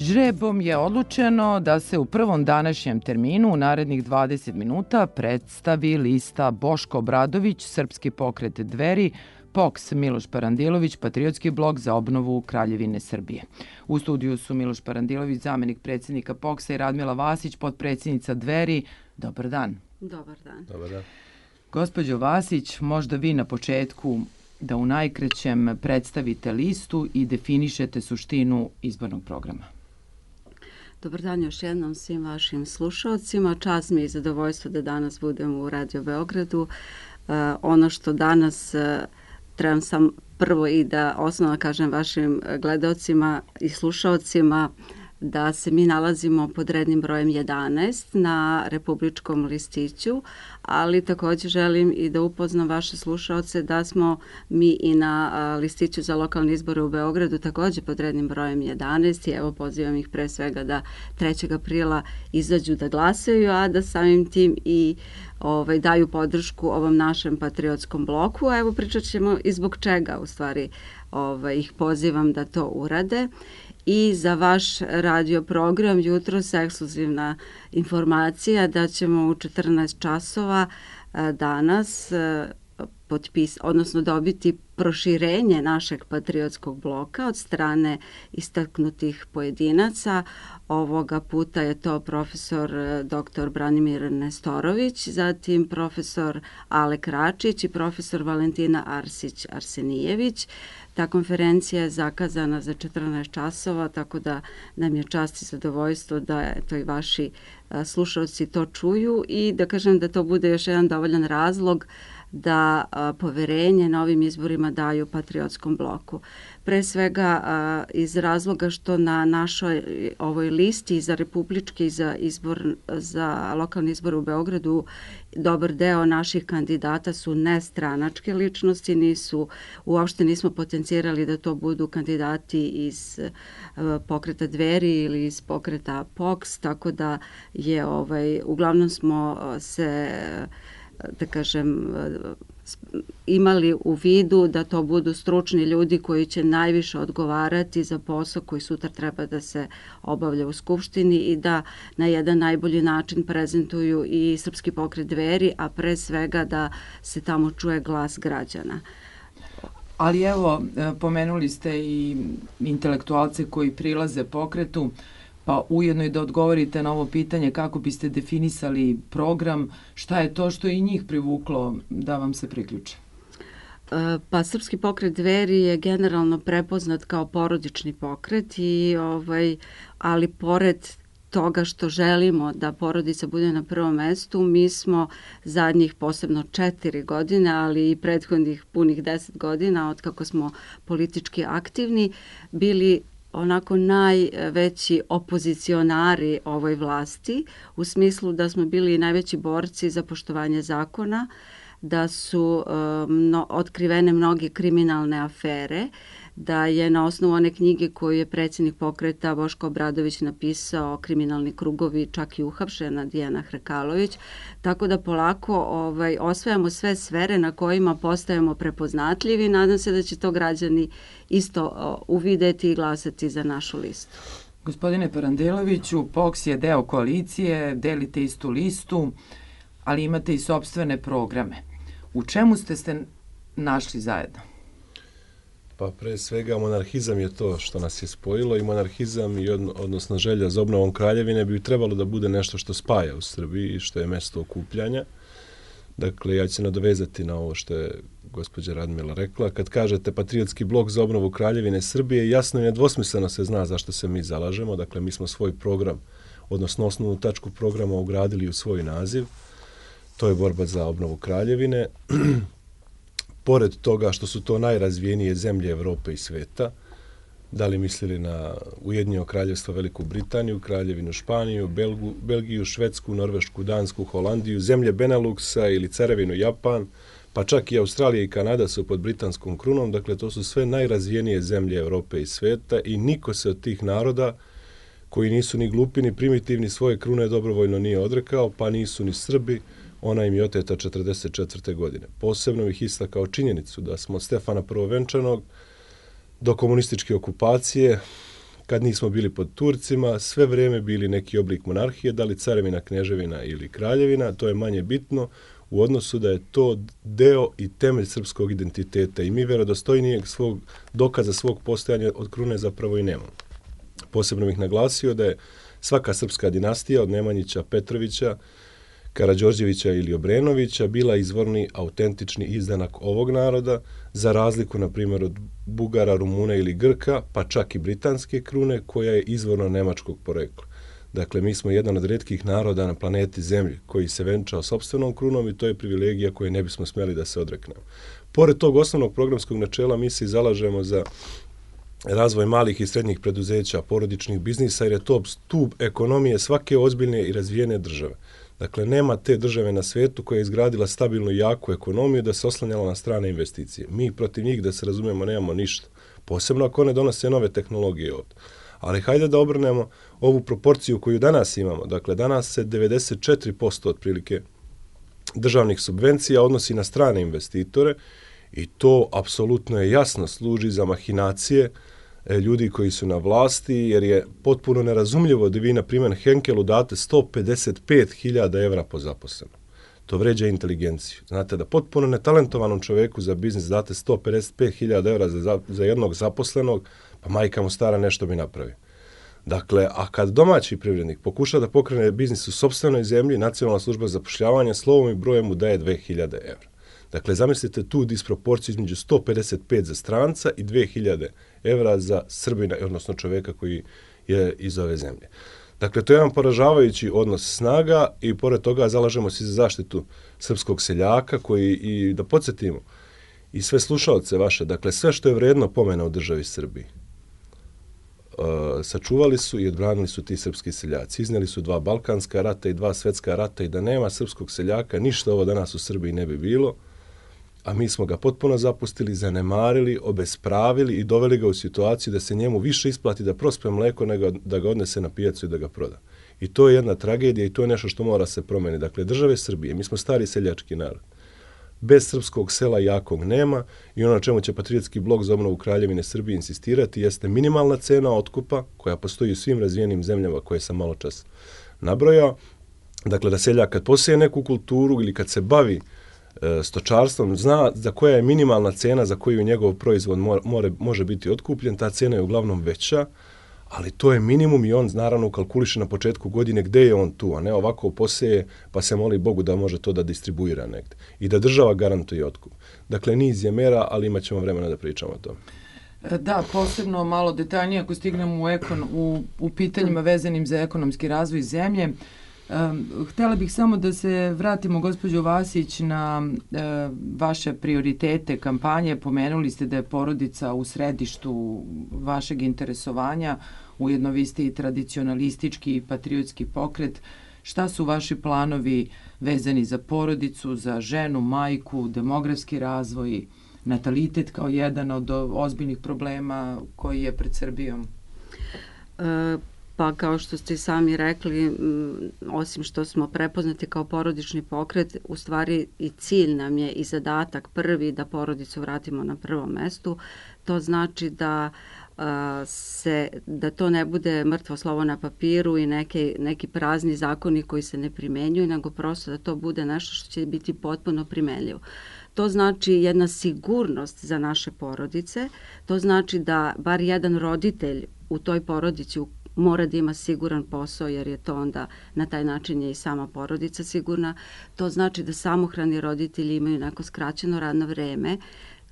Žrebom je odlučeno da se u prvom današnjem terminu u narednih 20 minuta predstavi lista Boško Obradović, Srpski pokret Dveri, POKS Miloš Parandilović, Patriotski blok za obnovu Kraljevine Srbije. U studiju su Miloš Parandilović, zamenik predsjednika POKS-a, i Radmila Vasić, potpredsjednica Dveri. Dobar dan. Dobar dan. Dobar dan. Gospođo Vasić, možda vi na početku da u najkraćem predstavite listu i definišete suštinu izbornog programa. Dobar dan još jednom svim vašim slušalcima. Čast mi je i zadovoljstvo da danas budem u Radio Beogradu. Ono što danas trebam sam prvo i da osnovno kažem vašim gledalcima i slušalcima da se mi nalazimo pod rednim brojem 11 na republičkom listiću, ali također želim i da upoznam vaše slušalce da smo mi i na listiću za lokalne izbore u Beogradu također pod rednim brojem 11 i evo pozivam ih pre svega da 3. aprila izađu da glasaju, a da samim tim i daju podršku ovom našem patriotskom bloku. A evo pričat ćemo i zbog čega u stvari ih pozivam da to urade. I za vaš radio program jutros ekskluzivna informacija da ćemo u 14 časova danas odnosno dobiti proširenje našeg patriotskog bloka od strane istaknutih pojedinaca. Ovoga puta je to profesor dr. Branimir Nestorović, zatim profesor Alek Račić i profesor Valentina Arsić-Arsenijević. Ta konferencija je zakazana za 14 časova, tako da nam je čast i zadovoljstvo da to i vaši slušalci to čuju i da kažem da to bude još jedan dovoljan razlog da poverenje na ovim izborima daju patriotskom bloku. Pre svega iz razloga što na našoj ovoj listi za republički za lokalni izbor u Beogradu dobar deo naših kandidata su nestranačke ličnosti, uopšte nismo potencirali da to budu kandidati iz pokreta Dveri ili iz pokreta POKS, tako da je uglavnom smo se da kažem imali u vidu da to budu stručni ljudi koji će najviše odgovarati za posao koji sutra treba da se obavlja u Skupštini i da na jedan najbolji način prezentuju i Srpski pokret Dveri, a pre svega da se tamo čuje glas građana. Ali evo, pomenuli ste i intelektualce koji prilaze pokretu, pa ujedno i da odgovorite na ovo pitanje kako biste definisali program, šta je to što i njih privuklo da vam se priključe? Pa Srpski pokret Dveri je generalno prepoznat kao porodični pokret ali pored toga što želimo da porodica bude na prvom mestu, mi smo zadnjih posebno 4 godine, ali i prethodnih punih 10 godina od kako smo politički aktivni, bili onako najveći opozicionari ovoj vlasti, u smislu da smo bili najveći borci za poštovanje zakona, da su otkrivene mnoge kriminalne afere, da je na osnovu one knjige koju je predsjednik pokreta Boško Obradović napisao Kriminalni krugovi, čak i uhapšena Dijana Hrkalović, tako da polako osvajamo sve sfere na kojima postajemo prepoznatljivi. Nadam se da će to građani isto uvideti i glasati za našu listu. Gospodine Parandiloviću, POKS je deo koalicije, delite istu listu, ali imate i sopstvene programe. U čemu ste se našli zajedno? Pa pre svega monarhizam je to što nas je spojilo i monarhizam i odnosno želja za obnovom Kraljevine bi trebalo da bude nešto što spaja u Srbiji i što je mesto okupljanja. Dakle, ja ću se nadovezati na ovo što je gospođa Radmila rekla. Kad kažete Patriotski blok za obnovu Kraljevine Srbije, jasno i nedvosmisleno se zna zašto se mi zalažemo. Dakle, mi smo svoj program, odnosno osnovnu tačku programa ugradili u svoj naziv. To je borba za obnovu Kraljevine. Pored toga što su to najrazvijenije zemlje Evrope i sveta, da li mislili na Ujedinjeno kraljevstvo Veliku Britaniju, Kraljevinu Španiju, Belgiju, Švedsku, Norvešku, Dansku, Holandiju, zemlje Beneluksa ili Carevinu Japan, pa čak i Australija i Kanada su pod britanskom krunom, dakle to su sve najrazvijenije zemlje Evrope i sveta i niko se od tih naroda koji nisu ni glupi ni primitivni svoje krune dobrovoljno nije odrekao, pa nisu ni Srbi, ona im je oteta 1944. godine. Posebno bih istakao činjenicu da smo od Stefana Prvovenčanog do komunističke okupacije kad nismo bili pod Turcima, sve vrijeme bili neki oblik monarhije, da li carevina, kneževina ili kraljevina, to je manje bitno u odnosu da je to deo i temelj srpskog identiteta i mi vjerodostojnijeg svog dokaza svog postojanja od krune zapravo i nemamo. Posebno bih naglasio da je svaka srpska dinastija od Nemanjića, Petrovića, Karađorđevića ili Obrenovića bila izvorni, autentični izdanak ovog naroda, za razliku, na primjer, od Bugara, Rumuna ili Grka, pa čak i britanske krune, koja je izvorno nemačkog porekla. Dakle, mi smo jedan od retkih naroda na planeti Zemlji koji se venčao sopstvenom krunom i to je privilegija koje ne bismo smjeli da se odreknemo. Pored tog osnovnog programskog načela, mi se zalažemo za razvoj malih i srednjih preduzeća, porodičnih biznisa, jer je to stup ekonomije svake ozbiljne i razvijene države. Dakle, nema te države na svijetu koja je izgradila stabilnu i jaku ekonomiju da se oslanjala na strane investicije. Mi protiv njih, da se razumijemo, nemamo ništa. Posebno ako one donose nove tehnologije ovdje. Ali hajde da obrnemo ovu proporciju koju danas imamo. Dakle, danas se 94% otprilike državnih subvencija odnosi na strane investitore i to apsolutno je jasno služi za mahinacije ljudi koji su na vlasti, jer je potpuno nerazumljivo da vi, na primjer, Henkelu date 155.000 evra po zaposlenom. To vređa inteligenciju. Znate da potpuno netalentovanom čovjeku za biznis date 155.000 evra za jednog zaposlenog, pa majka mu stara nešto bi napravio. Dakle, a kad domaći privrednik pokuša da pokrene biznis u sopstvenoj zemlji, Nacionalna služba za zapošljavanje slovom i brojem mu daje 2.000 evra. Dakle, zamislite tu disproporciju između 155 za stranca i 2.000 evra za Srbina, odnosno čovjeka koji je iz ove zemlje. Dakle, to je jedan poražavajući odnos snaga i pored toga zalažemo se za zaštitu srpskog seljaka koji, i da podsjetimo, i sve slušalce vaše, dakle, sve što je vrijedno pomena u državi Srbiji, sačuvali su i odbranili su ti srpski seljaci. Iznijeli su 2 balkanska rata i 2 svetska rata i da nema srpskog seljaka, ništa ovo danas u Srbiji ne bi bilo, a mi smo ga potpuno zapustili, zanemarili, obespravili i doveli ga u situaciju da se njemu više isplati da prospe mleko nego da ga odnese na pijacu i da ga proda. I to je jedna tragedija i to je nešto što mora se promeniti. Dakle, države Srbije, mi smo stari seljački narod. Bez srpskog sela jakog nema i ono na čemu će Patriotski blok za obnovu Kraljevine Srbije insistirati jeste minimalna cena otkupa koja postoji u svim razvijenim zemljama koje sam malo čas nabrojao. Dakle, da seljak kad poseje neku kulturu ili kad se bavi stočarstvom, zna za koja je minimalna cena za koju njegov proizvod može biti otkupljen, ta cena je uglavnom veća, ali to je minimum i on naravno kalkuliše na početku godine gde je on tu, a ne ovako poseje pa se moli Bogu da može to da distribuira negde i da država garantuje otkup. Dakle, niz je mera, ali imat ćemo vremena da pričamo o tome. Da, posebno malo detaljnije ako stignemo u pitanjima vezanim za ekonomski razvoj zemlje. Htjela bih samo da se vratimo, gospođo Vasić, na vaše prioritete kampanje. Pomenuli ste da je porodica u središtu vašeg interesovanja, ujedno vi ste i tradicionalistički i patriotski pokret. Šta su vaši planovi vezani za porodicu, za ženu, majku, demografski razvoj, natalitet kao jedan od ozbiljnih problema koji je pred Srbijom? Pa kao što ste sami rekli, osim što smo prepoznati kao porodični pokret, u stvari i cilj nam je i zadatak prvi da porodicu vratimo na prvom mestu. To znači da to ne bude mrtvo slovo na papiru i neki prazni zakoni koji se ne primenjuju, nego prosto da to bude nešto što će biti potpuno primenljivo. To znači jedna sigurnost za naše porodice, to znači da bar jedan roditelj u toj porodici mora da ima siguran posao, jer je to onda na taj način je i sama porodica sigurna. To znači da samohrani roditelji imaju neko skraćeno radno vreme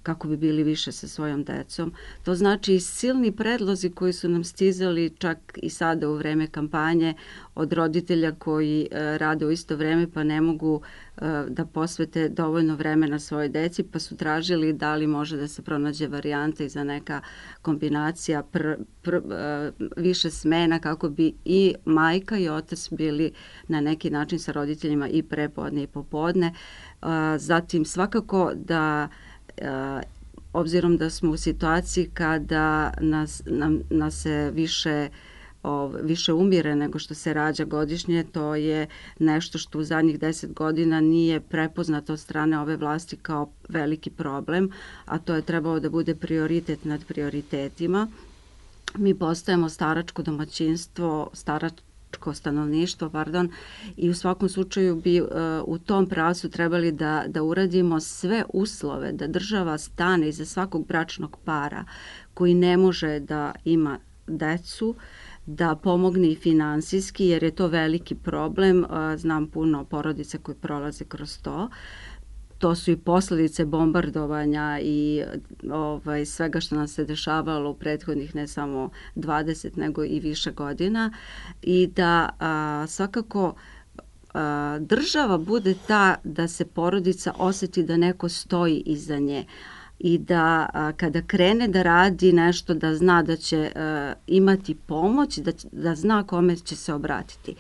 kako bi bili više sa svojom decom. To znači i silni predlozi koji su nam stizali čak i sada u vreme kampanje od roditelja koji rade u isto vreme pa ne mogu da posvete dovoljno vremena svojoj deci, pa su tražili da li može da se pronađe varijanta i za neka kombinacija više smena kako bi i majka i otac bili na neki način sa roditeljima i prepodne i popodne. Zatim svakako da obzirom da smo u situaciji kada nas se više umire nego što se rađa godišnje, to je nešto što u zadnjih 10 godina nije prepoznato od strane ove vlasti kao veliki problem, a to je trebalo da bude prioritet nad prioritetima. mi postajemo staračko domaćinstvo, stanovništvo, i u svakom slučaju bi u tom pravcu trebali da uradimo sve uslove, da država stane iza svakog bračnog para koji ne može da ima decu, da pomogne i finansijski, jer je to veliki problem. Znam puno porodica koji prolaze kroz to. To su i posljedice bombardovanja i svega što nam se dešavalo u prethodnih ne samo 20 nego i više godina, i da svakako država bude ta da se porodica osjeti da neko stoji iza nje i da kada krene da radi nešto da zna da će imati pomoć, da zna kome će se obratiti.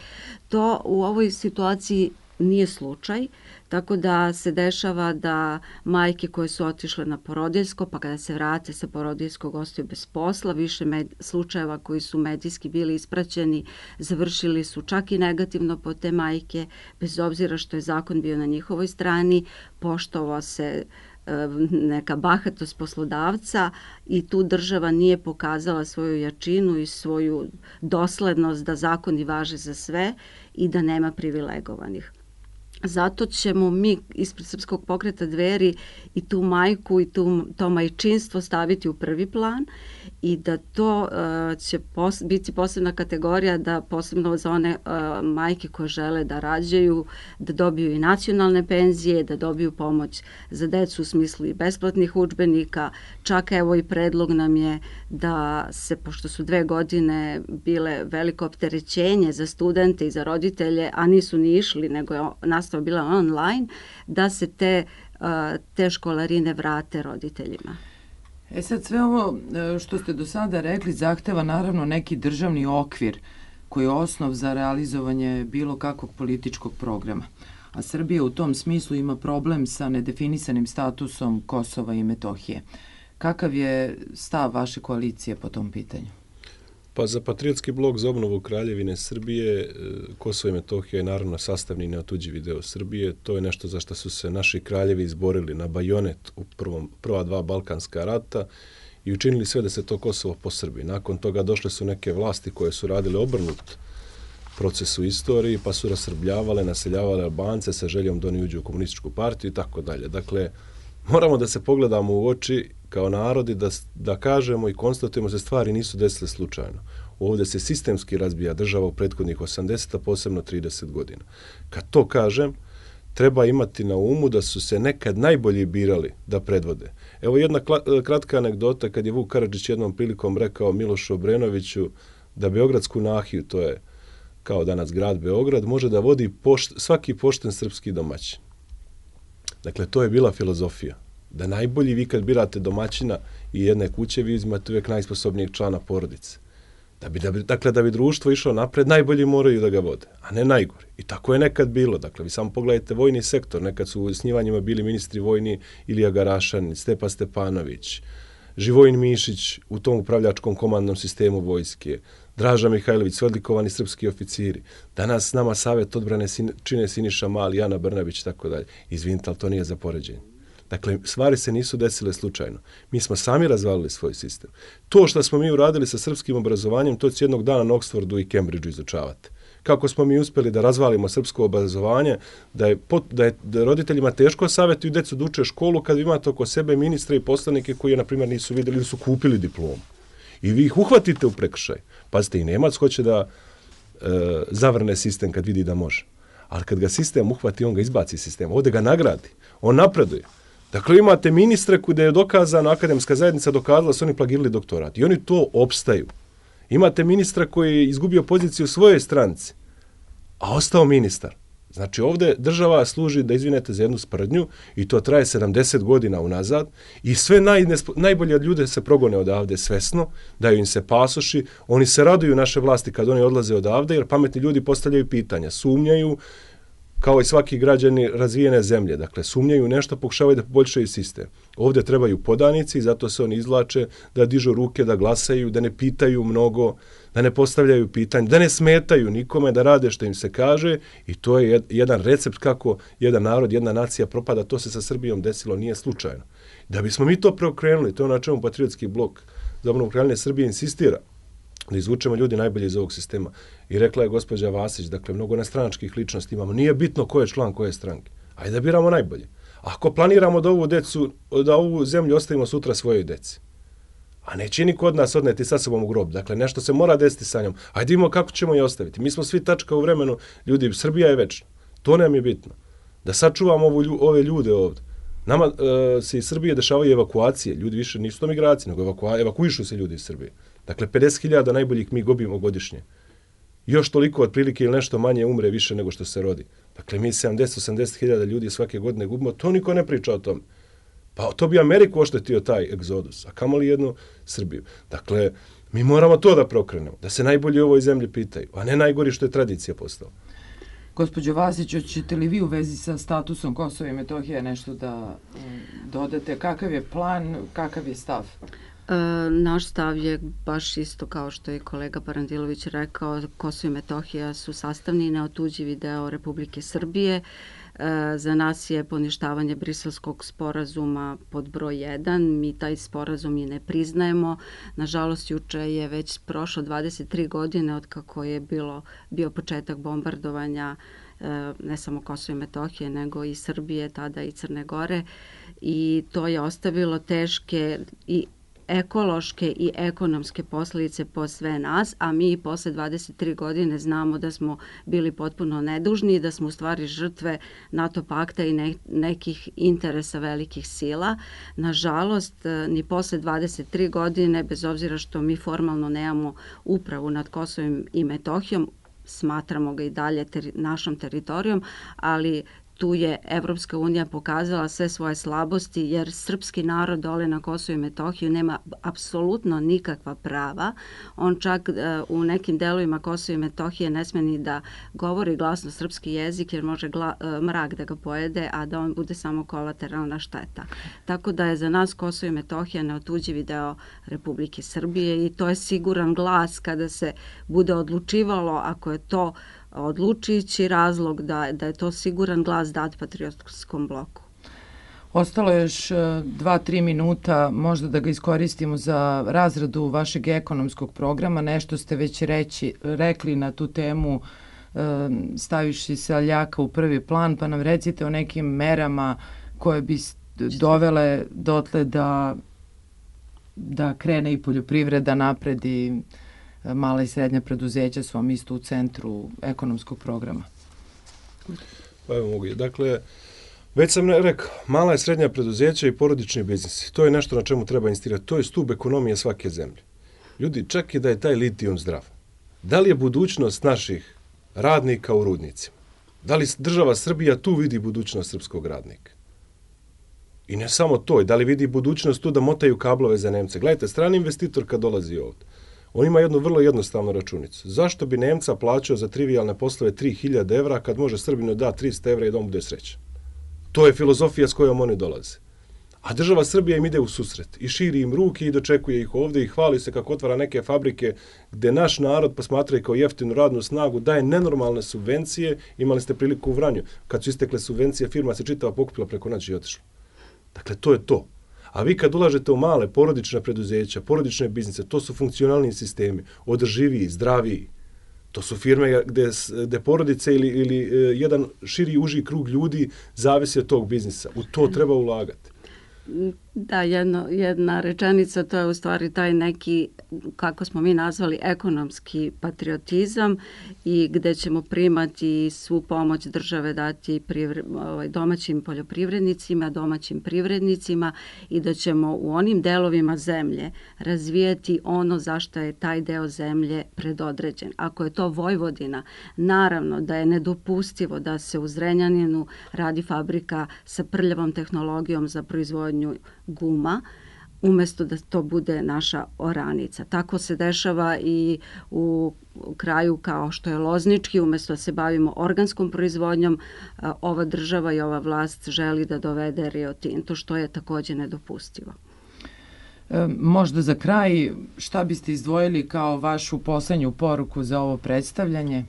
To u ovoj situaciji nije slučaj, tako da se dešava da majke koje su otišle na porodiljsko, pa kada se vrate sa porodiljskog ostaju bez posla, više slučajeva koji su medijski bili ispraćeni završili su čak i negativno po te majke, bez obzira što je zakon bio na njihovoj strani, poštovao se neka bahatost poslodavca i tu država nije pokazala svoju jačinu i svoju doslednost da zakoni važe za sve i da nema privilegovanih. Zato ćemo mi ispred Srpskog pokreta Dveri i tu majku i to majčinstvo staviti u prvi plan i da to će biti posebna kategorija, da posebno za one majke koje žele da rađaju, da dobiju i nacionalne penzije, da dobiju pomoć za decu u smislu i besplatnih udžbenika. Čak evo i predlog nam je da se, pošto su 2 godine bile veliko opterećenje za studente i za roditelje, a nisu ni išli, nego je nastava bila online, da se te školarine vrate roditeljima. Sad sve ovo što ste do sada rekli zahteva naravno neki državni okvir koji je osnov za realizovanje bilo kakvog političkog programa. A Srbija u tom smislu ima problem sa nedefinisanim statusom Kosova i Metohije. Kakav je stav vaše koalicije po tom pitanju? Pa za Patriotski blok za obnovu Kraljevine Srbije, Kosovo i Metohija je naravno sastavni i neotuđivi deo Srbije. To je nešto za što su se naši kraljevi izborili na bajonet u prva 2 Balkanska rata i učinili sve da se to Kosovo posrbi. Nakon toga došle su neke vlasti koje su radile obrnut proces u istoriji, pa su rasrbljavale, naseljavale Albance sa željom da oni uđu u komunističku partiju i tako dalje. Dakle, moramo da se pogledamo u oči kao narodi, da kažemo i konstatujemo da stvari nisu desile slučajno. Ovdje se sistemski razbija država u prethodnih 80, a posebno 30 godina. Kad to kažem, treba imati na umu da su se nekad najbolji birali da predvode. Evo jedna kratka anegdota, kad je Vuk Karadžić jednom prilikom rekao Milošu Obrenoviću da Beogradsku nahiju, to je kao danas grad Beograd, može da vodi svaki pošten srpski domaćin. Dakle, to je bila filozofija. Da najbolji, vi kad birate domaćina i jedne kuće, vi uzimate uvijek najsposobnijeg člana porodice. Dakle, da bi društvo išlo napred, najbolji moraju da ga vode, a ne najgori. I tako je nekad bilo. Dakle, vi samo pogledajte vojni sektor. Nekad su u osnivanjima bili ministri vojni Ilija Garašanin, Stepa Stepanović, Živojin Mišić u tom upravljačkom komandnom sistemu vojske, Draža Mihajlović, odlikovani srpski oficiri. Danas s nama Savjet odbrane čine Siniša Mali, Ana Brnabić i tako dalje. Izvinite, ali to nije za poređenje. Dakle, stvari se nisu desile slučajno. Mi smo sami razvalili svoj sistem. To što smo mi uradili sa srpskim obrazovanjem, to će jednog dana na Oxfordu i Cambridgeu izučavati. Kako smo mi uspjeli da razvalimo srpsko obrazovanje, da je roditeljima teško savjetuju djecu da uče školu kad imate oko sebe ministre i poslanike koji je, na primjer, nisu vidjeli ili su kupili diplomu. I vi ih uhvatite u prekršaj. Pazite, i Nemac hoće da zavrne sistem kad vidi da može. Ali kad ga sistem uhvati, on ga izbaci sistem. Ovdje ga nagradi. On napreduje. Dakle, imate ministre gdje je dokazano, akademska zajednica dokazala da su oni plagirali doktorat. I oni to opstaju. Imate ministra koji je izgubio poziciju u svojoj stranci, a ostao ministar. Znači, ovdje država služi, da izvinete, za jednu sprdnju i to traje 70 godina unazad i sve najbolje ljude se progone odavde svesno, daju im se pasoši, oni se raduju naše vlasti kad oni odlaze odavde jer pametni ljudi postavljaju pitanja, sumnjaju, kao i svaki građani razvijene zemlje. Dakle, sumnjaju nešto, pokušavaju da poboljšaju sistem. Ovdje trebaju podanici, zato se oni izvlače da dižu ruke, da glasaju, da ne pitaju mnogo, da ne postavljaju pitanje, da ne smetaju nikome, da rade što im se kaže i to je jedan recept kako jedan narod, jedna nacija propada. To se sa Srbijom desilo, nije slučajno. Da bismo mi to preokrenuli, to je na čemu Patriotski blok za obnovu Kraljevine Srbije insistira. da izvučemo ljudi najbolje iz ovog sistema. I rekla je gospođa Vasić, dakle, mnogo nestranačkih ličnosti imamo. Nije bitno ko je član koje stranke. Ajde da biramo najbolje. Ako planiramo da ovu zemlju ostavimo sutra svojoj deci, a neće niko od nas odneti sa sobom u grob. Dakle, nešto se mora desiti sa njom. Ajde imamo kako ćemo je ostaviti. Mi smo svi tačka u vremenu. Ljudi, Srbija je večna. To nam je bitno. Da sačuvamo ove ljude ovdje. Nama se iz Srbije dešavaju evakuacije. Ljudi više nisu to migracije, nego evakuišu se ljudi iz Srbije. Dakle, 50.000 najboljih mi gubimo godišnje. Još toliko otprilike ili nešto manje umre više nego što se rodi. Dakle, mi 70-80.000 ljudi svake godine gubimo. To niko ne priča o tome. Pa to bi Ameriku oštetio taj egzodus, a kamoli jednu Srbiju. Dakle, mi moramo to da prokrenemo, da se najbolji u ovoj zemlji pitaju, a ne najgori što je tradicija postala. Gospođo Vasić, hoćete li vi u vezi sa statusom Kosova i Metohije nešto da dodate? Kakav je plan, kakav je stav? Naš stav je baš isto kao što je kolega Parandilović rekao. Kosovo i Metohija su sastavni i neotuđivi deo Republike Srbije. Za nas je poništavanje Briselskog sporazuma pod broj 1. Mi taj sporazum i ne priznajemo. Nažalost, juče je već prošlo 23 godine od kako je bio početak bombardovanja ne samo Kosova i Metohije, nego i Srbije, tada i Crne Gore. I to je ostavilo teške i ekološke i ekonomske posljedice po sve nas, a mi posle 23 godine znamo da smo bili potpuno nedužni i da smo u stvari žrtve NATO pakta i nekih interesa velikih sila. Nažalost, ni posle 23 godine, bez obzira što mi formalno nemamo upravu nad Kosovom i Metohijom, smatramo ga i dalje našom teritorijom, ali tu je Evropska unija pokazala sve svoje slabosti, jer srpski narod dole na Kosovu i Metohiju nema apsolutno nikakva prava. On čak u nekim delovima Kosova i Metohije ne sme ni da govori glasno srpski jezik, jer može mrak da ga pojede, a da on bude samo kolateralna šteta. Tako da je za nas Kosovo i Metohija neotuđivi deo Republike Srbije i to je siguran glas kada se bude odlučivalo, ako je to odlučujući razlog da je to siguran glas dat patriotskom bloku. Ostalo je još 2-3 minuta, možda da ga iskoristimo za razradu vašeg ekonomskog programa. Nešto ste već rekli na tu temu, staviši seljaka u prvi plan, pa nam recite o nekim merama koje bi dovele dotle da krene i poljoprivreda napred i mala i srednja preduzeća su vam isto u centru ekonomskog programa. Pa evo mogu. Dakle, već sam rekao, mala i srednja preduzeća i porodični biznisi. To je nešto na čemu treba insistirati. To je stup ekonomije svake zemlje. Ljudi, čak i da je taj litijum zdrav. Da li je budućnost naših radnika u rudnicima? Da li država Srbija tu vidi budućnost srpskog radnika? I ne samo to, da li vidi budućnost tu da motaju kablove za Nemce? Gledajte, strani investitor kad dolazi ovdje, on ima jednu vrlo jednostavnu računicu. Zašto bi Nemca plaćao za trivijalne poslove 3000 evra kad može Srbinu da 300 evra i da on bude srećan? To je filozofija s kojom oni dolaze. A država Srbija im ide u susret i širi im ruke i dočekuje ih ovdje i hvali se kako otvara neke fabrike gde naš narod posmatra kao jeftinu radnu snagu, daje nenormalne subvencije. Imali ste priliku u Vranju. Kad su istekle subvencije, firma se čitava pokupila preko noći i otišla. Dakle, to je to. A vi kad ulažete u male porodične preduzeća, porodične biznise, to su funkcionalni sistemi, održiviji, zdraviji. To su firme gde porodice ili jedan širi uži krug ljudi zavisi od tog biznisa. U to treba ulagati. Da, jedna rečenica, to je u stvari taj neki, kako smo mi nazvali, ekonomski patriotizam i gde ćemo primati svu pomoć države dati domaćim poljoprivrednicima, domaćim privrednicima i da ćemo u onim delovima zemlje razvijati ono zašto je taj deo zemlje predodređen. Ako je to Vojvodina, naravno da je nedopustivo da se u Zrenjaninu radi fabrika sa prljavom tehnologijom za proizvodnju guma, umjesto da to bude naša oranica. Tako se dešava i u kraju kao što je Loznički, umjesto da se bavimo organskom proizvodnjom, ova država i ova vlast želi da dovede Rio Tinto, što je također nedopustivo. Možda za kraj, šta biste izdvojili kao vašu poslednju poruku za ovo predstavljanje?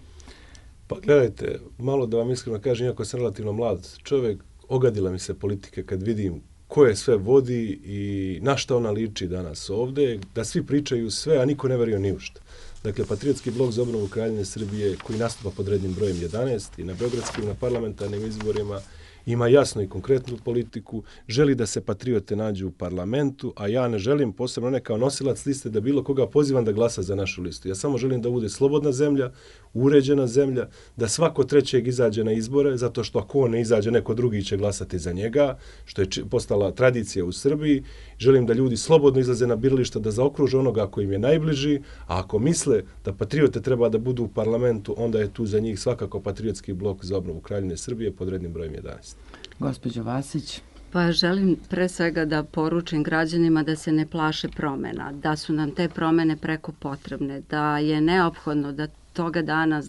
Pa gledajte, malo da vam iskreno kažem, iako sam relativno mlad čovjek, ogadila mi se politike kad vidim ko je sve vodi i na šta ona liči danas ovde, da svi pričaju sve, a niko ne veruje ni u šta. Dakle, Patriotski blok za obnovu Kraljevine Srbije, koji nastupa pod rednim brojem 11 i na beogradskim, na parlamentarnim izborima, ima jasnu i konkretnu politiku, želi da se patriote nađu u parlamentu, a ja ne želim, posebno ne kao nosilac liste, da bilo koga pozivam da glasa za našu listu. Ja samo želim da bude slobodna zemlja, uređena zemlja, da svako trećeg izađe na izbore, zato što ako on ne izađe, neko drugi će glasati za njega, što je postala tradicija u Srbiji. Želim da ljudi slobodno izlaze na birališta, da zaokruže onoga koji im je najbliži, a ako misle da patriote treba da budu u parlamentu, onda je tu za njih svakako Patriotski blok za obnovu Kraljevine Srbije pod rednim brojem 11. Gospođo Vasić. Pa želim pre svega da poručim građanima da se ne plaše promena, da su nam te promene preko potrebne, da je neophodno da toga dana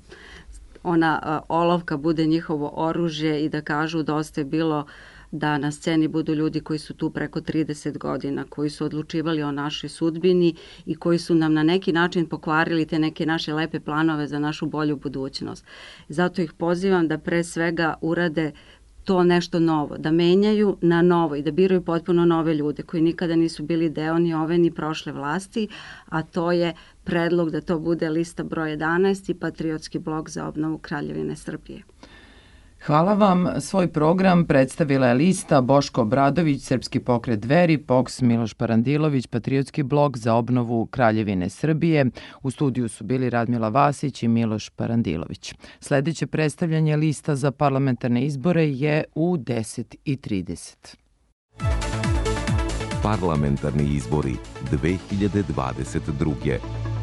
ona olovka bude njihovo oružje i da kažu dosta je bilo da na sceni budu ljudi koji su tu preko 30 godina, koji su odlučivali o našoj sudbini i koji su nam na neki način pokvarili te neke naše lepe planove za našu bolju budućnost. Zato ih pozivam da pre svega urade to nešto novo, da menjaju na novo i da biraju potpuno nove ljude koji nikada nisu bili deo ni ove ni prošle vlasti, a to je predlog da to bude lista broj 11 i Patriotski blok za obnovu Kraljevine Srbije. Hvala vam. Svoj program predstavila je lista Boško Obradović, Srpski pokret Dveri, POKS Miloš Parandilović, Patriotski blok za obnovu Kraljevine Srbije. U studiju su bili Radmila Vasić i Miloš Parandilović. Sledeće predstavljanje lista za parlamentarne izbore je u 10:30. Parlamentarni izbori 2022.